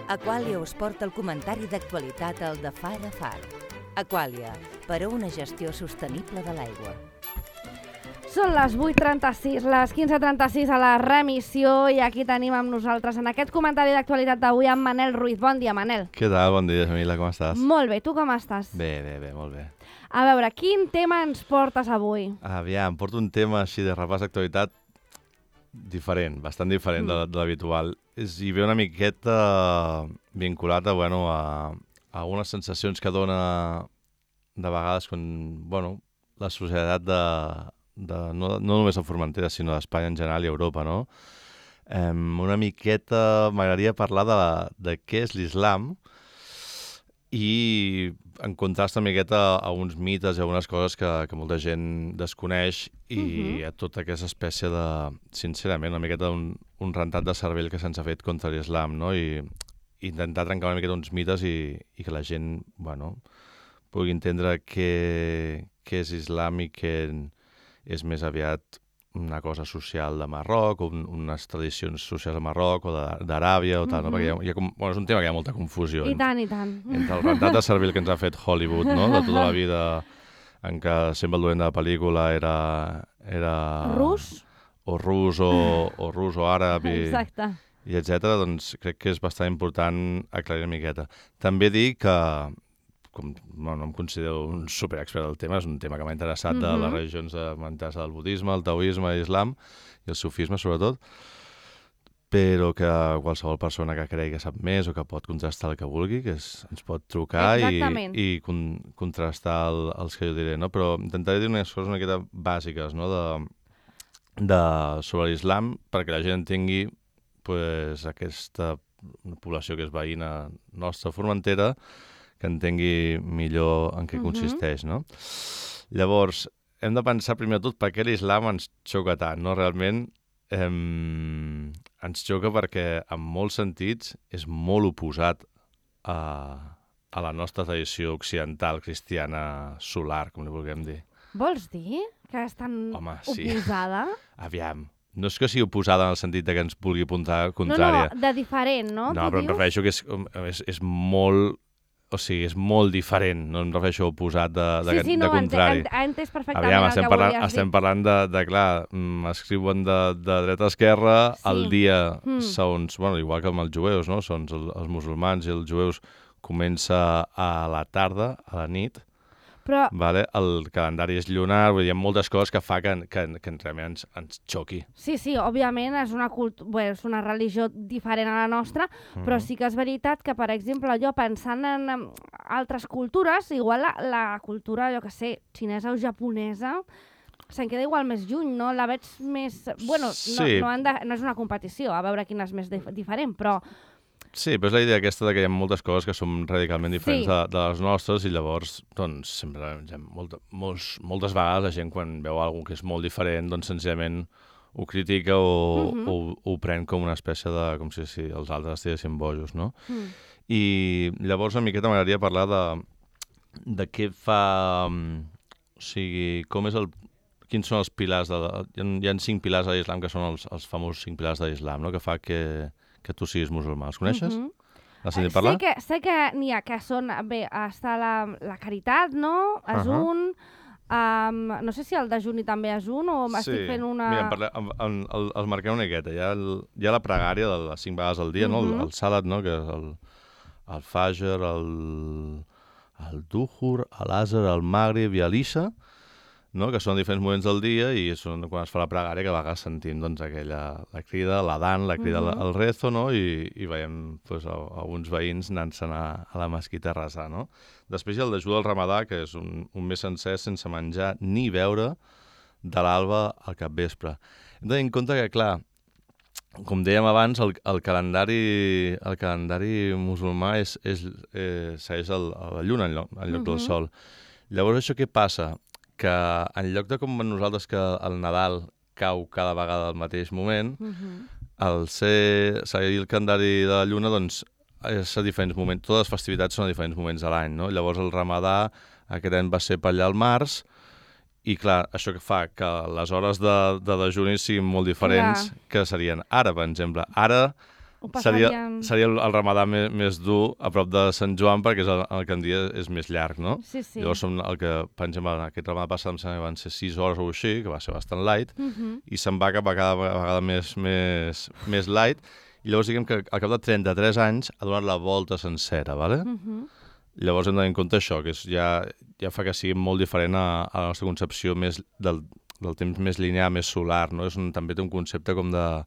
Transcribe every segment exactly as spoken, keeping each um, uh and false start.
Aquàlia us porta el comentari d'actualitat al de Far a Far. Aquàlia, per a una gestió sostenible de l'aigua. Són les vuit trenta-sis, les quinze trenta-sis a la remissió i aquí tenim amb nosaltres en aquest comentari d'actualitat d'avui amb Manel Ruiz. Bon dia, Manel. Què tal? Bon dia, Jamila, com estàs? Molt bé, tu com estàs? Bé, bé, bé, molt bé. A veure, quin tema ens portes avui? Aviam, porto un tema així de repàs d'actualitat diferent, bastant diferent mm. de l'habitual. I ve una miqueta vinculat a, bueno, a, a unes sensacions que dona de vegades quan, bueno, la societat de, de no, no només a Formentera, sinó d'Espanya en general i Europa, no? Eh, una miqueta m'agradaria parlar de, de què és l'islam i en contrast una miqueta a uns mites i a unes coses que, que molta gent desconeix i uh-huh. a tota aquesta espècie de, sincerament, una miqueta un, un rentat de cervell que se'ns ha fet contra l'islam, no? I, i intentar trencar una miqueta uns mites i, i que la gent, bueno, pugui entendre què, què és islam i què és més aviat una cosa social de Marroc, o un, unes tradicions socials de Marroc o d'Aràbia o tal, uh-huh. no? Perquè hi ha, hi ha, bueno, és un tema que hi ha molta confusió. I tant, i tant. Entre el rentat de cervell que ens ha fet Hollywood, no? De tota la vida en què sempre el dolent de la pel·lícula era... era rus? O rus o, o rus o àrab i, exacte. I etcètera, doncs crec que és bastant important aclarir una miqueta. També dir que com no, no em considero un superexpert del tema, és un tema que m'ha interessat mm-hmm. de les religions, m'ha interessat el budisme, el taoisme, l'islam i el sufisme sobretot, però que qualsevol persona que cregui que sap més o que pot contrastar el que vulgui, que és, ens pot trucar i, i con, contrastar el, els que jo diré, no? Però intentaré dir unes coses una miqueta bàsiques, no? de, de, sobre l'islam perquè la gent entengui pues, aquesta població que és veïna nostra a Formentera, que entengui millor en què uh-huh. consisteix, no? Llavors, hem de pensar primer de tot per què l'islam ens xoca tant, no? Realment eh, ens xoca perquè en molts sentits és molt oposat a, a la nostra tradició occidental cristiana solar, com li vulguem dir. Vols dir que és tan Home, sí. oposada? Aviam. No és que sigui oposada en el sentit que ens vulgui apuntar contrària. No, no, de diferent, no? No, però em refereixo que és, és, és molt... O sigui, és molt diferent, no em refereixo a oposat de, de, sí, sí, no, de contrari. Ha entès perfectament Aviam, el estem que parlant, volies dir. Estem parlant de, de clar, escriuen de, de dreta a esquerra, sí. El dia, mm. segons, bueno, igual que amb els jueus, no? Són els, els musulmans i els jueus comença a la tarda, a la nit, però... vale? El calendari és lunar, vull dir, hi ha moltes coses que fa que, que, que realment ens, ens xoqui. Sí, sí, òbviament és una, cult... Bé, és una religió diferent a la nostra, mm-hmm. però sí que és veritat que, per exemple, jo pensant en altres cultures, igual la, la cultura, jo que sé, xinesa o japonesa, se'n queda igual més lluny, no? La veig més... Bueno, sí. no, no, han de... no és una competició, a veure quina és més dif- diferent, però... Sí, però és la idea aquesta de que hi ha moltes coses que són radicalment diferents sí. de, de les nostres i llavors, doncs, sempre, ja, molta, molts, moltes vegades la gent quan veu alguna que és molt diferent, doncs, senzillament ho critica o, mm-hmm. o, o ho pren com una espècie de... com si, si els altres estiguessin bojos, no? Mm. I llavors una miqueta m'agradaria parlar de, de què fa... O sigui, com és el... Quins són els pilars de... Hi ha, hi ha cinc pilars de l'islam que són els, els famosos cinc pilars de l'islam, no? Que fa que... que tu siguis musulmà. Els coneixes? Mm-hmm. Has sentit parlar? Sé que, sé que n'hi ha que són... Bé, està la, la caritat, no? És uh-huh. un... Um, no sé si el dejuni també és un o sí. estic fent una... Mira, parla, en, en, el, els marquem una miqueta. Hi ha, el, hi ha la pregària de les cinc vegades al dia, mm-hmm. no? El, el salat, no? Que és el, el fajr, el, el duhur, l'asr, el maghrib i l'isha, no? Que són diferents moments del dia i són quan es fa la pregària que a vegades sentim doncs, aquella, la crida, l'adhan, la crida mm-hmm. al rezo, no? I, i veiem doncs, alguns veïns anant-se'n a, a la mesquita a resar, no? Després hi ha el dejú del Ramadà, que és un, un mes sencer sense menjar ni beure de l'alba al capvespre. Hem de tenir en compte que, clar, com dèiem abans, el, el, calendari, el calendari musulmà és, és, eh, segueix el, la lluna en lloc, en lloc mm-hmm. del sol. Llavors, això què passa? Que en lloc de com nosaltres que el Nadal cau cada vegada al mateix moment, uh-huh. el ser, seguir el calendari de la lluna, doncs, és a diferents moments. Totes les festivitats són a diferents moments de l'any, no? Llavors el Ramadà aquest any va ser per allà al març, i clar, això que fa que les hores de, de dejuni siguin molt diferents, clar. Que serien ara, per exemple. Ara Ho seria, passarien... seria el, el ramadà més, més dur a prop de Sant Joan, perquè és el, el que en dia és més llarg, no? Sí, sí. Llavors, som el que, per exemple, aquest ramadà passat em sembla que van ser sis hores o així, que va ser bastant light, Uh -huh. i se'n va cap a cada vegada més, més, més light, i llavors diguem que al cap de trenta-tres anys ha donat la volta sencera, ¿vale? Uh -huh. Llavors hem de tenir en compte això, que és ja, ja fa que sigui molt diferent a, a la nostra concepció més del, del temps més linear, més solar, no? És un, també té un concepte com de...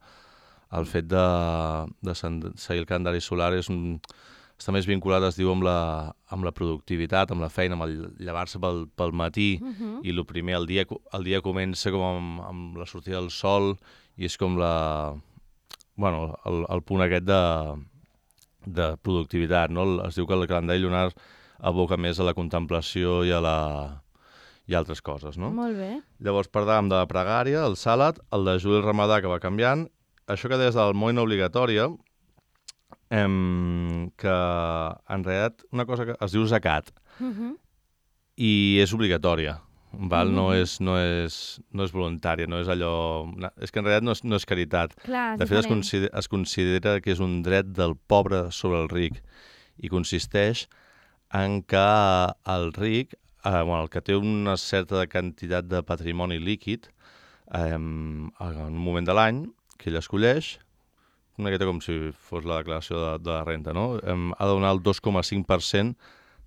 El fet de, de seguir el calendari solar és un, està més vinculat, es diu, amb la, amb la productivitat, amb la feina, amb el llevar-se pel, pel matí, Uh -huh. i el primer, el dia, el dia comença com amb, amb la sortida del sol, i és com la... Bueno, el, el punt aquest de, de productivitat, no? Es diu que el calendari lunar aboca més a la contemplació i a la... i altres coses, no? Molt bé. Llavors parlàvem de la pregària, el sàlat, el de Juli Ramadà, que va canviant. Això que deies de l'almoina obligatòria, em, que en realitat una cosa que es diu zakat, Uh -huh. i és obligatòria, val? Mhm. No és, no és, no és voluntària, no és allò... És que en realitat no és, no és caritat. Clar, és De fet, es diferent. considera, es considera que és un dret del pobre sobre el ric, i consisteix en que el ric, eh, bueno, el que té una certa quantitat de patrimoni líquid, eh, en un moment de l'any, que ell escolleix, una miqueta com si fos la declaració de, de la renta, no? Eh, ha de donar el dos coma cinc per cent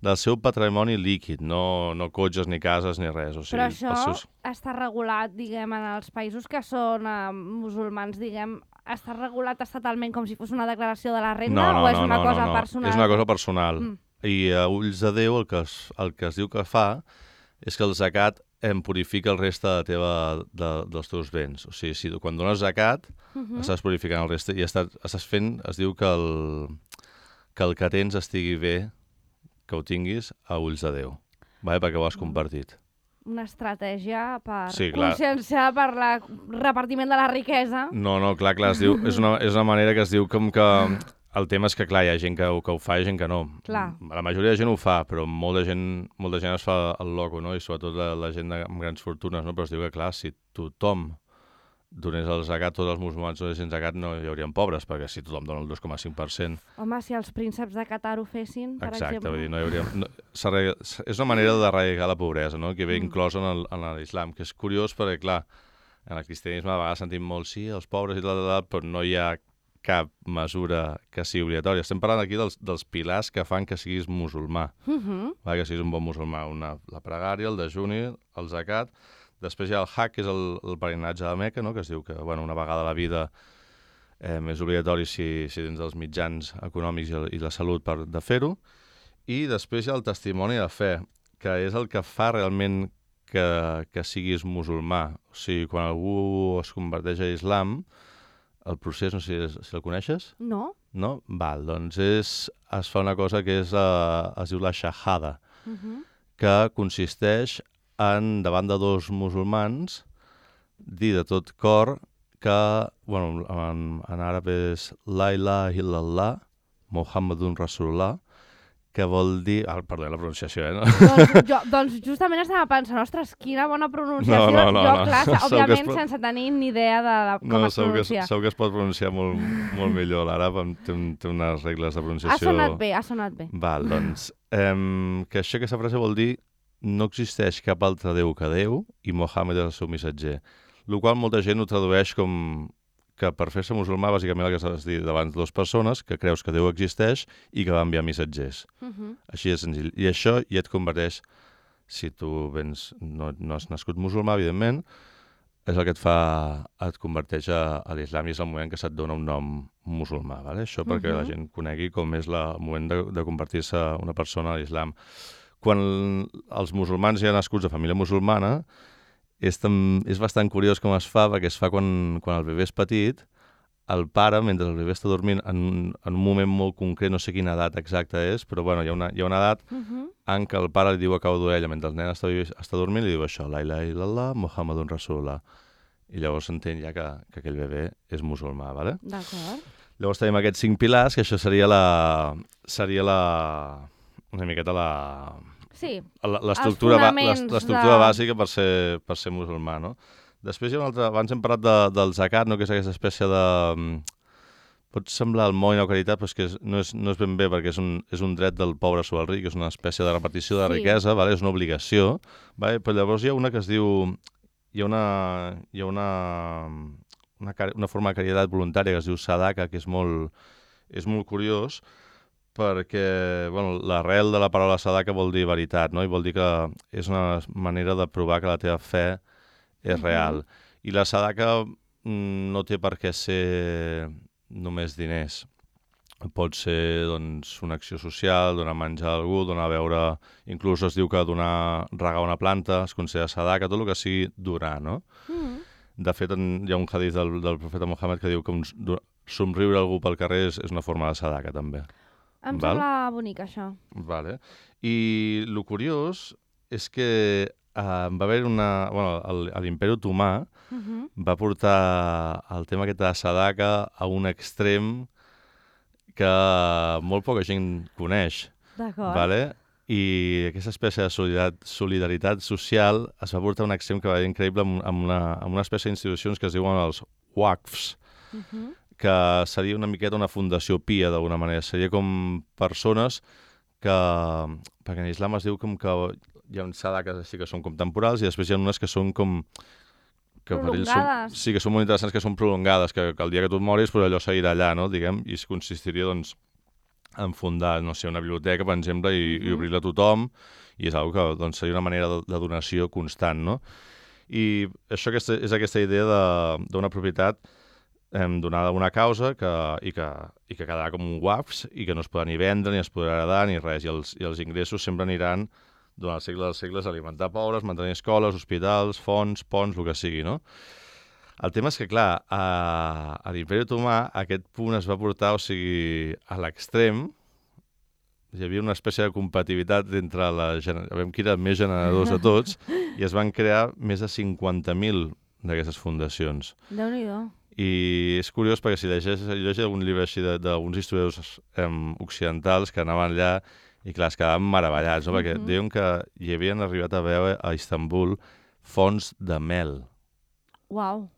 del seu patrimoni líquid, no, no cotxes, ni cases, ni res. O sigui, Però això els seus... està regulat, diguem, en els països que són eh, musulmans, diguem, està regulat estatalment com si fos una declaració de la renda, No, no, o és no, una no, cosa no, no. personal? És una cosa personal. Mm. I a ulls de Déu el que, es, el que es diu que fa és que el zakat em purifica el reste de teva, de, dels teus béns. O sigui, si quan dones zakat, Uh -huh. estàs purificant el reste i estàs, estàs fent, es diu que el, que el que tens estigui bé, que ho tinguis a ulls de Déu, vale? Perquè ho has compartit. Una estratègia per Sí, clar. conscienciar per el repartiment de la riquesa. No, no, clar, clar, es diu, és, una, és una manera que es diu com que... El tema és que, clar, hi ha gent que, que ho fa i gent que no. Clar. La majoria de gent ho fa, però molta gent, molta gent es fa el loco, no? I sobretot la, la gent de, amb grans fortunes, no? Però es diu que, clar, si tothom donés el zakat, tots els musulmans donessin zakat, no hi haurien pobres, perquè si tothom dona el dos coma cinc per cent... Home, si els prínceps de Qatar ho fessin, per Exacte, exemple... vull dir, no hi hauria... No, és una manera d'arraigar la pobresa, no? Que ve Mm. inclosa en l'islam, que és curiós perquè, clar, en el cristianisme a vegades sentim molt, sí, els pobres i tal, tal, tal, però no hi ha cap mesura que sigui obligatòria. Estem parlant aquí dels, dels pilars que fan que siguis musulmà, Uh -huh. va? Que siguis un bon musulmà. Una, la pregària, el dejuni, el zakat. Després hi ha el hajj, que és el, el peregrinatge a la Meca, no? Que es diu que bueno, una vegada a la vida eh, és obligatori si, si tens els mitjans econòmics i, el, i la salut per de fer-ho. I després hi ha el testimoni de fe, que és el que fa realment que, que siguis musulmà. O sigui, quan algú es converteix a islam, el procés, no sé si, si el coneixes, No? no? Val, doncs és, es fa una cosa que és, uh, es diu la shahada, Uh -huh. que consisteix en, davant de dos musulmans, dir de tot cor que, bueno, en, en àrab és la ilaha illallah, Muhammadun Rasulullah, que vol dir... Ah, perdó, la pronunciació, eh? No? doncs, jo, doncs justament estava pensant, ostres, quina bona pronunciació. No, no, no, jo, no. clar, Segur que òbviament es pot- sense tenir ni idea de, de com No, es segur que, es- pronuncia. segur que es pot pronunciar molt, molt millor. L'àrab em- té, un, té unes regles de Ha pronunciació... sonat bé, ha sonat bé. Val, doncs, eh, que això, aquesta frase vol dir no existeix cap altre Déu que Déu i Mohammed és el seu missatger. El qual molta gent ho tradueix com que per fer-se musulmà, bàsicament el que s'ha de dir davant de dues persones, que creus que Déu existeix i que va enviar missatgers. Uh -huh. Així de senzill. I això ja et converteix, si tu vens, no, no has nascut musulmà, evidentment, és el que et fa, et converteix a, a l'islam i és el moment que se't dona un nom musulmà, ¿vale? Això perquè Mhm. la gent conegui com és la, el moment de, de convertir-se una persona a l'islam. Quan els musulmans ja nascuts de família musulmana, és, tam, és bastant curiós com es fa, perquè es fa quan, quan el bebè és petit, el pare, mentre el bebè està dormint, en un, en un moment molt concret, no sé quina edat exacta és, però bueno, hi ha una, hi ha una edat Uh -huh. en què el pare li diu a cau d'orella, mentre el nen està, està dormint, li diu això, la ilaha illallah, Muhammadun Rasulullah. I llavors s'entén ja que, que aquell bebè és musulmà, ¿vale? D'acord. Llavors tenim aquests cinc pilars, que això seria la... seria la... una miqueta la... Sí, la- l'estructura ba- fonaments l'es- l'estructura de- bàsica per ser, per ser musulmà, no? Després hi ha un altre... Abans hem parlat de, del zakat, no? Que és aquesta espècie de... mm, pot semblar el món i la caritat, però és que no és, no és ben bé, perquè és un, és un dret del pobre sobre el ric, és una espècie de repartició de Sí. riquesa, vale? És una obligació, vale? Però llavors hi ha una que es diu... Hi ha una, hi ha una, una, una forma de caritat voluntària que es diu sadaka, que és molt, és molt curiós, perquè bueno, l'arrel de la paraula sadaka vol dir veritat, no? I vol dir que és una manera de provar que la teva fe és Mhm. real. I la sadaka mm, no té per què ser només diners. Pot ser doncs, una acció social, donar menjar a algú, donar a beure... Inclús es diu que donar regar una planta es considera sadaka, tot el que sigui donar, no? Mm. De fet, en, hi ha un hadith del, del profeta Mohammed que diu que un, somriure a algú pel carrer és, és una forma de sadaka, també. Em Val? sembla bonic, això. Vale. I el curiós és que uh, va haver una... Bueno, el- a l'Imperi Otomà Mhm. va portar el tema aquest de sadaka a un extrem que molt poca gent coneix, D'acord. vale? I aquesta espècie de solidaritat, solidaritat social es va portar a un extrem que va ser increïble amb, amb, una, amb una espècie d'institucions que es diuen els waqfs, Mhm. que seria una miqueta una fundació pia, d'alguna manera. Seria com persones que... Perquè en islam es diu com que hi ha uns sadaques així que són com temporals i després hi ha unes que són com... Que per ells són, Prolongades. sí, que són molt interessants, que són prolongades, que, que el dia que tu et moris, però allò seguirà allà, no? Diguem, i es consistiria, doncs, en fundar, no sé, una biblioteca, per exemple, i, i Mhm. obrir-la a tothom, i és una que doncs, seria una manera de, de donació constant, no? I això aquesta, és aquesta idea de- d'una propietat eh, donada a una causa que, i, que, i que quedarà com un waqfs i que no es podrà ni vendre, ni es podrà heredar, ni res, i els, i els ingressos sempre aniran durant els segles dels segles a alimentar pobres, mantenir escoles, hospitals, fonts, ponts, el que sigui, no? El tema és que, clar, a, a l'Imperi Otomà aquest punt es va portar, o sigui, a l'extrem. Hi havia una espècie de compatibilitat entre la... gener- a veure qui era el més generadors de tots, i es van crear més de cinquanta mil d'aquestes fundacions. Déu-n'hi-do. I és curiós perquè si llegeix, llegeix algun llibre així de- d'alguns historiadors um, occidentals que anaven allà i clar, es quedaven meravellats, no? Perquè Mhm. diuen que hi havien arribat a veure a Istanbul fonts de mel, Uau.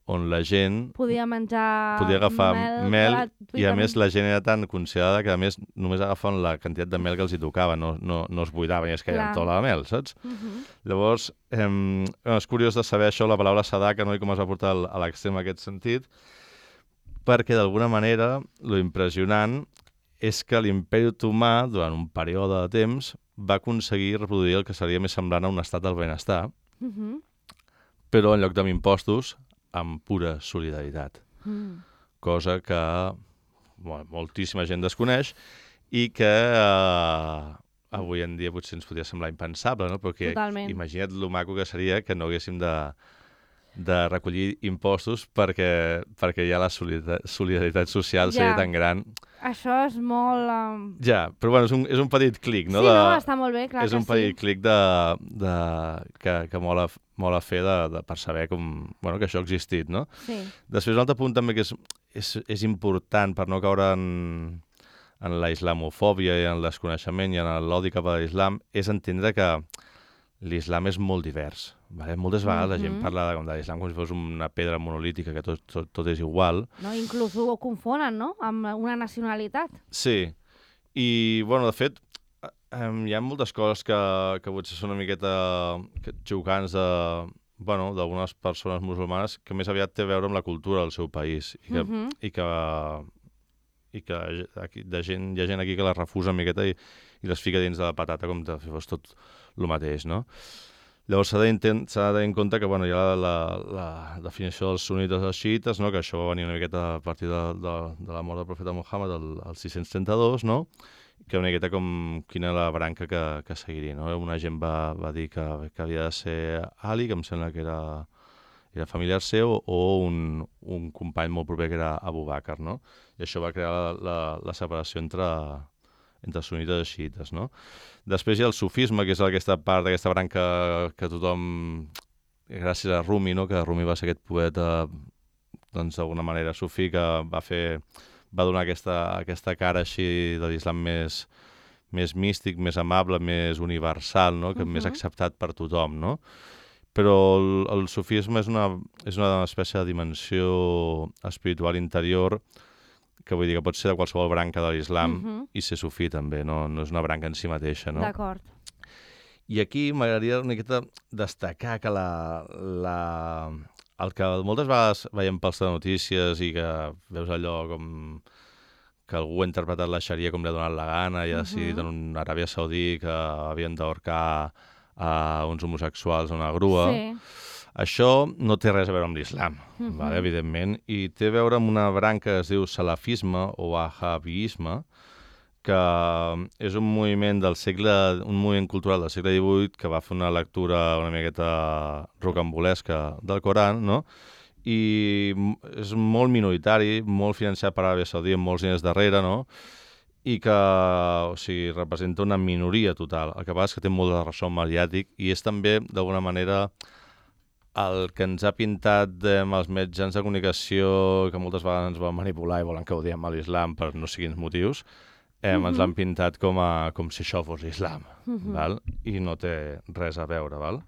on la gent Podia menjar podia agafar mel, mel, gratuïtament. i a més la gent era tan considerada que a més només agafaven la quantitat de mel que els hi tocava, no, no, no es buidaven i es queien Clar. tota la mel, saps? Mhm. Llavors, eh, és curiós de saber això, la paraula sadaka, no? I com es va portar al- a l'extrem en aquest sentit, perquè d'alguna manera lo impressionant és que l'Imperi Otomà, durant un període de temps, va aconseguir reproduir el que seria més semblant a un estat del benestar, Mhm. però en lloc amb impostos, amb pura solidaritat. Mm. Cosa que bueno, moltíssima gent desconeix i que eh, avui en dia potser ens podria semblar impensable, no? Perquè Totalment. imagina't lo maco que seria que no haguéssim de, de recollir impostos perquè, perquè ja la solidaritat, solidaritat social Ja. seria tan gran. Això és molt... Um... Ja, però bueno, és un, és un petit clic, no? sí, de, no, està molt bé, clar és que un petit sí. clic de, de, que, que mola, mola fer de, de, per saber com, bueno, que això ha existit, no? Sí. Després, un altre punt també que és, és, és important per no caure en, en la islamofòbia i en el desconeixement i en l'odi cap a l'islam, és entendre que l'islam és molt divers. Vale? Moltes vegades la gent Mhm. parla de, de l'islam com si fos una pedra monolítica, que tot, tot, tot és igual. No, inclús ho confonen, no?, amb una nacionalitat. Sí, i, bueno, de fet, eh, hi ha moltes coses que, que potser són una miqueta que- xocants de, bueno, d'algunes persones musulmanes que més aviat té a veure amb la cultura del seu país i que, Mhm. i que, i que aquí, de gent, hi ha gent aquí que les refusa una miqueta i, i les fica dins de la patata com si fos tot el mateix, no? Llavors s'ha de, intent- s'ha de tenir en compte que bueno, hi ha la, la, la definició dels sunites i dels xiites, no? Que això va venir una miqueta a partir de, de, de la mort del profeta Muhammad el, el sis-cents trenta-dos, no? Que una miqueta com quina era la branca que, que seguiria, no? Una gent va, va dir que, que havia de ser Ali, que em sembla que era, era familiar seu, o un, un company molt proper que era Abu Bakr, no? I això va crear la, la, la separació entre, entre sunites i xiites, no? Després hi ha el sufisme, que és aquesta part d'aquesta branca que tothom, gràcies a Rumi, no? Que Rumi va ser aquest poeta, doncs d'alguna manera sufí, que va fer, va donar aquesta, aquesta cara així de l'islam més, més místic, més amable, més universal, no? Que Mhm. més acceptat per tothom, no? Però el, el sufisme és una, és una espècie de dimensió espiritual interior que vull dir que pot ser de qualsevol branca de l'islam Mhm. i ser sufí també, no, no és una branca en si mateixa, no? D'acord. I aquí m'agradaria una miqueta destacar que la, la, el que moltes vegades veiem pels notícies i que veus allò com que algú ha interpretat la xaria com li ha donat la gana i ha decidit Mhm. en una Aràbia Saudí que havien d'ahorcar a uns homosexuals a una grua. Sí. Això no té res a veure amb l'islam, Mhm. vale, evidentment, i té a veure amb una branca que es diu salafisme o wahabisme, que és un moviment del segle, un moviment cultural del segle divuit que va fer una lectura una miqueta rocambolesca del Coran, no? I és molt minoritari, molt financiat per Aràbia Saudí, amb molts diners darrere, no? I que, o sigui, representa una minoria total. El que passa és que té molt de ressò mediàtic i és també, d'alguna manera, el que ens ha pintat amb els mitjans de comunicació, que moltes vegades ens volen manipular i volen que ho diem a l'islam per no sé quins motius, eh, Mhm. ens l'han pintat com, a, com si això fos l'islam, Mhm. val? I no té res a veure, val?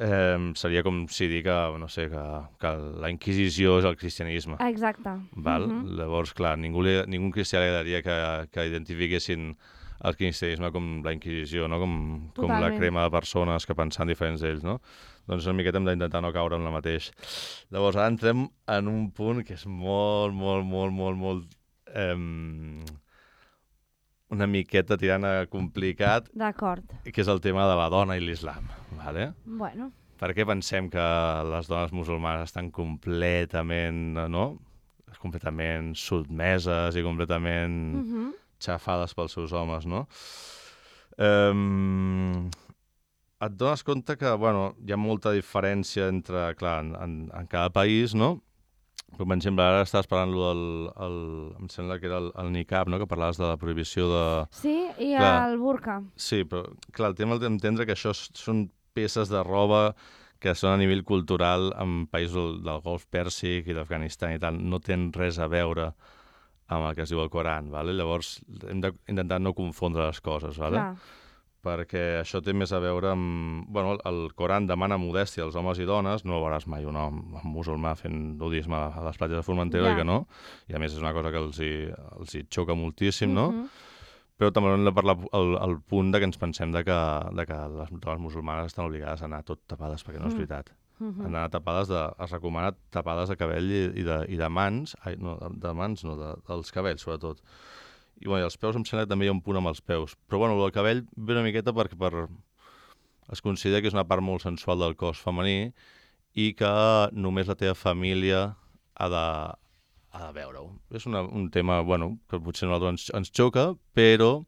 Eh, seria com si dir que, no sé, que, que la Inquisició és el cristianisme. Exacte. Val? Mhm. Llavors, clar, ningú, li, ningú cristià li agradaria que, que identifiquessin el cristianisme com la Inquisició, no? com, com la Totalment. crema de persones que pensen diferents d'ells, no? Doncs una miqueta hem d'intentar no caure en la mateix. Llavors, ara entrem en un punt que és molt, molt, molt, molt, molt... Eh, una miqueta tirant a complicat, D'acord. que és el tema de la dona i l'islam, vale? Bueno. Per què pensem que les dones musulmanes estan completament, no? completament sotmeses i completament Mhm. xafades pels seus homes, no? Um, et dones compte que, bueno, hi ha molta diferència entre, clar, en, en, en cada país, no? Per exemple, ara estàs parlant del, el, em sembla que era el, el niqab, no? Que parlaves de la prohibició de... Sí, i Clar. el burka. Sí, però, clar, el tema és d'entendre que això s- són peces de roba que són a nivell cultural en països del Golf Pèrsic i d'Afganistan i tal, no tenen res a veure amb el que es diu el Coran, vale? Llavors hem d'intentar no confondre les coses, vale? Clar. Perquè això té més a veure amb... Bueno, el Coran demana modèstia als homes i dones, no veuràs mai un home musulmà fent nudisme a les platges de Formentera, Ja. ja. que no, i a més és una cosa que els hi, els hi xoca moltíssim, no? Mhm. Però també hem de parlar el, el punt de que ens pensem de que, de que les dones musulmanes estan obligades a anar tot tapades, perquè no és Mm. veritat. Mhm. Han d'anar tapades, de, es recomana tapades de cabell i, i, de, i de mans, ai, no, de, de mans no, de, dels cabells sobretot. I, bueno, i els peus em sembla que també hi ha un punt amb els peus. Però bueno, el cabell ve una miqueta perquè per, es considera que és una part molt sensual del cos femení i que només la teva família ha de, ha de veure-ho. És una, un tema, bueno, que potser a nosaltres ens, ens xoca, però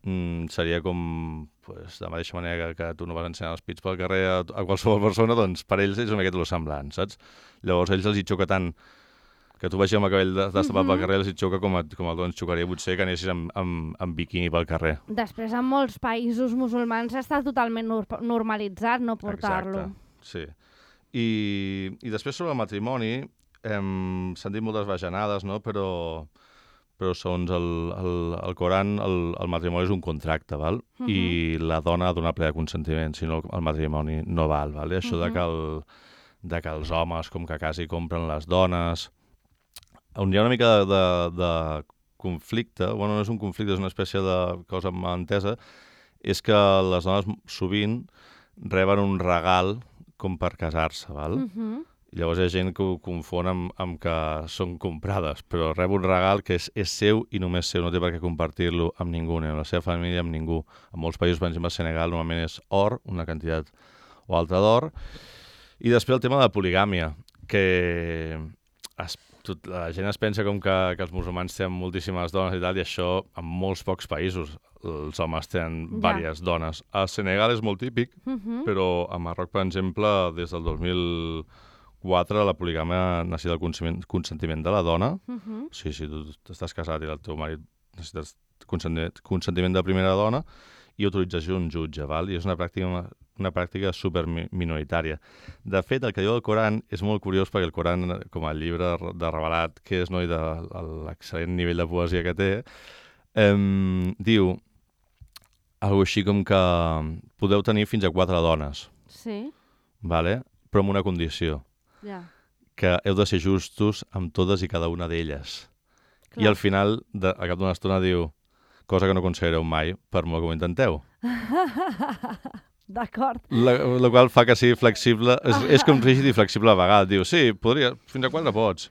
mm, seria com, pues, de la mateixa manera que, que tu no vas ensenyar els pits pel carrer a, a qualsevol persona, doncs per ells és una miqueta lo semblant, saps? Llavors a ells els hi xoca tant que tu vagis amb el cabell destapat Mhm. pel carrer, els hi xoca com, a, com el ens xocaria potser que anessis amb, amb, amb biquini pel carrer. Després, en molts països musulmans està totalment nor normalitzat no portar-lo. Exacte, sí. I, I després sobre el matrimoni, hem sentit moltes bajanades, no? però, però segons el, el, el Coran, el, el matrimoni és un contracte, val? Mhm. I la dona ha de donar ple de consentiment, si no el matrimoni no val. Val? I això de, Mhm. que el, de que els homes, com que quasi compren les dones, on hi ha una mica de, de, de conflicte, bueno, no és un conflicte, és una espècie de cosa malentesa, és que les dones sovint reben un regal com per casar-se, val? Mhm. Llavors hi ha gent que ho confon amb, amb que són comprades, però rep un regal que és, és seu i només seu, no té per què compartir-lo amb ningú, ni amb la seva família, amb ningú. En molts països, per exemple, a Senegal, normalment és or, una quantitat o altra d'or. I després el tema de la poligàmia, que es, tot, la gent es pensa com que, que els musulmans tenen moltíssimes dones i tal, i això en molts pocs països els homes tenen Ja. diverses dones. A Senegal és molt típic, Mhm. però a Marroc, per exemple, des del dos mil quatre la poligàmia necessita el consentiment, consentiment de la dona. Mhm. Sí, si tu estàs casat i el teu marit necessites consentiment, consentiment de primera dona i autorització d'un jutge, val? I és una pràctica, una pràctica super mi- minoritària. De fet, el que diu el Coran és molt curiós perquè el Coran, com a llibre de revelat que és, no, i de l'excel·lent nivell de poesia que té, eh, diu algo així com que podeu tenir fins a quatre dones, Sí, vale? Però amb una condició, ja. que heu de ser justos amb totes i cada una d'elles. I al final, de, a cap d'una estona, diu cosa que no aconseguireu mai, per molt que ho intenteu. D'acord. La, la qual fa que sigui flexible, és, és com rígid i flexible a vegades. Diu, sí, podria, fins a quatre pots,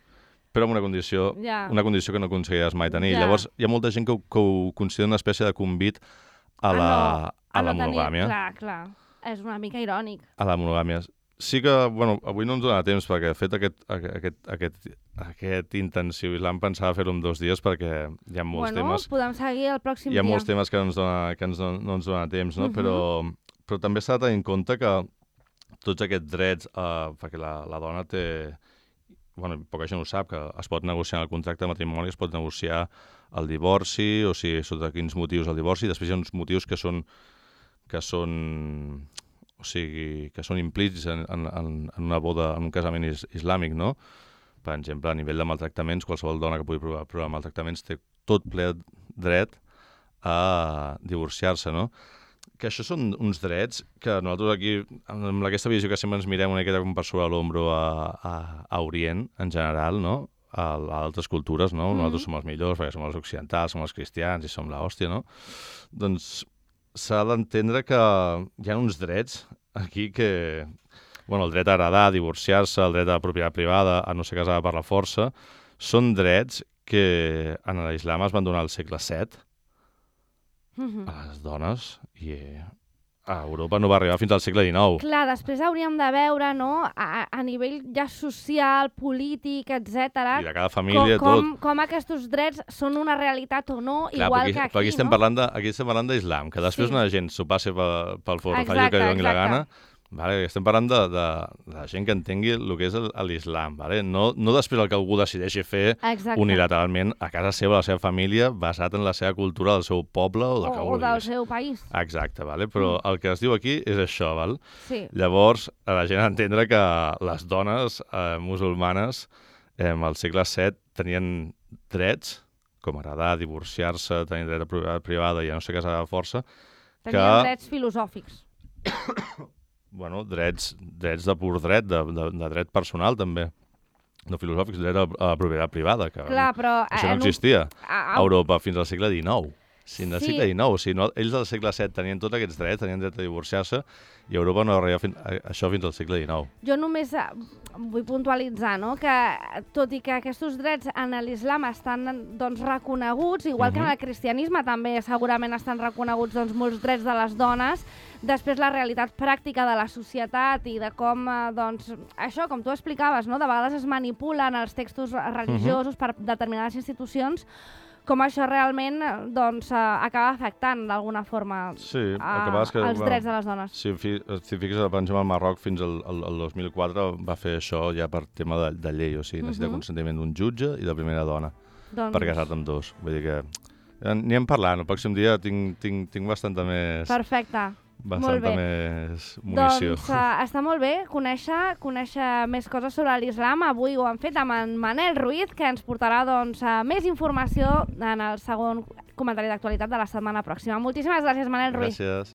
però amb una condició, Ja. una condició que no aconseguiràs mai tenir. Ja. Llavors, hi ha molta gent que, ho- que ho considera una espècie de convit a la, no, a la no tenir- monogàmia. Clar, clar. És una mica irònic. A la monogàmia. Sí que, bueno, avui no ens dona temps perquè he fet aquest, aquest, aquest, aquest intensiu islam pensava fer-ho en dos dies perquè hi ha molts bueno, temes. podem seguir el pròxim Hi ha dia. molts temes que, no ens dona, que ens dona, no ens dona temps, no? Mhm. però, però també s'ha de tenir en compte que tots aquests drets, eh, perquè la, la dona té... Bueno, poca gent ho sap, que es pot negociar en el contracte de matrimoni, es pot negociar el divorci, o sigui, sota quins motius el divorci, després hi ha uns motius que són que són, o sigui, que són implícits en, en, en una boda, en un casament is, islàmic, no? Per exemple, a nivell de maltractaments, qualsevol dona que pugui provar, provar maltractaments té tot ple dret a divorciar-se, no? Que això són uns drets que nosaltres aquí, amb aquesta visió que sempre ens mirem una miqueta com per sobre l'ombro a, a, a Orient, en general, no? A, a altres cultures, no? Mm-hmm. Nosaltres som els millors perquè som els occidentals, som els cristians i som l'hòstia, no? Doncs s'ha d'entendre que hi ha uns drets aquí que... Bueno, el dret a heredar, a divorciar-se, el dret a la propietat privada, a no ser casada per la força, són drets que en l'islam es van donar al segle set Mhm. a les dones i eh, a Europa no va arribar fins al segle dinou. Clar, després hauríem de veure, no?, a, a nivell ja social, polític, etcètera, I de cada família, com, tot. com, com aquests drets són una realitat o no, Clar, igual aquí, que aquí, però aquí estem no? parlant de, aquí estem parlant d'islam, que després Sí. una gent s'ho passi pel, pel forro, faci el Exacte, que li doni la exacte. gana. Vale? Estem parlant de, de, de gent que entengui el que és el- l'islam, vale? no, no després el que algú decideixi fer Exacte. unilateralment a casa seva, a la seva família, basat en la seva cultura, del seu poble o del que O, o del vulguis. seu país. Exacte, vale? Però el que es diu aquí és això, val? Sí. Llavors, a la gent ha d'entendre que les dones eh, musulmanes eh, al segle set tenien drets, com heredar, divorciar-se, tenir dret a propietat privada i a no ser casar de força, Tenien que- drets filosòfics. bueno, drets, drets de pur dret, de, de, de dret personal també, no filosòfics, dret a, a la propietat privada, que Clar, però... això no en un- existia a- a Europa fins al segle dinou. Si en el Sí. segle dinou, o sigui, no, ells del segle set tenien tots aquests drets, tenien dret a divorciar-se, i a Europa no arriba fin, a, això fins al segle dinou. Jo només eh, vull puntualitzar, no?, que tot i que aquests drets en l'islam estan doncs, reconeguts, igual que en Mhm. el cristianisme també segurament estan reconeguts doncs, molts drets de les dones, després la realitat pràctica de la societat i de com, eh, doncs, això, com tu explicaves, no?, de vegades es manipulen els textos religiosos per determinades institucions, com això realment eh, doncs, eh, acaba afectant d'alguna forma Sí, el a, que passa és que... els bueno, drets de les dones. Si, fi, si fiques, per exemple, el Marroc fins al, al, al dos mil quatre va fer això ja per tema de, de llei, o sigui, necessita Mhm. consentiment d'un jutge i de primera dona Doncs, per casar-te amb dos. Vull dir que eh, anirem parlant, el pròxim dia tinc, tinc, tinc bastanta més, Perfecte. bastanta bé. més munició. Doncs uh, està molt bé conèixer, conèixer més coses sobre l'islam. Avui ho hem fet amb en Manel Ruiz, que ens portarà doncs, uh, més informació en el segon comentari d'actualitat de la setmana pròxima. Moltíssimes gràcies, Manel Ruiz. Gràcies.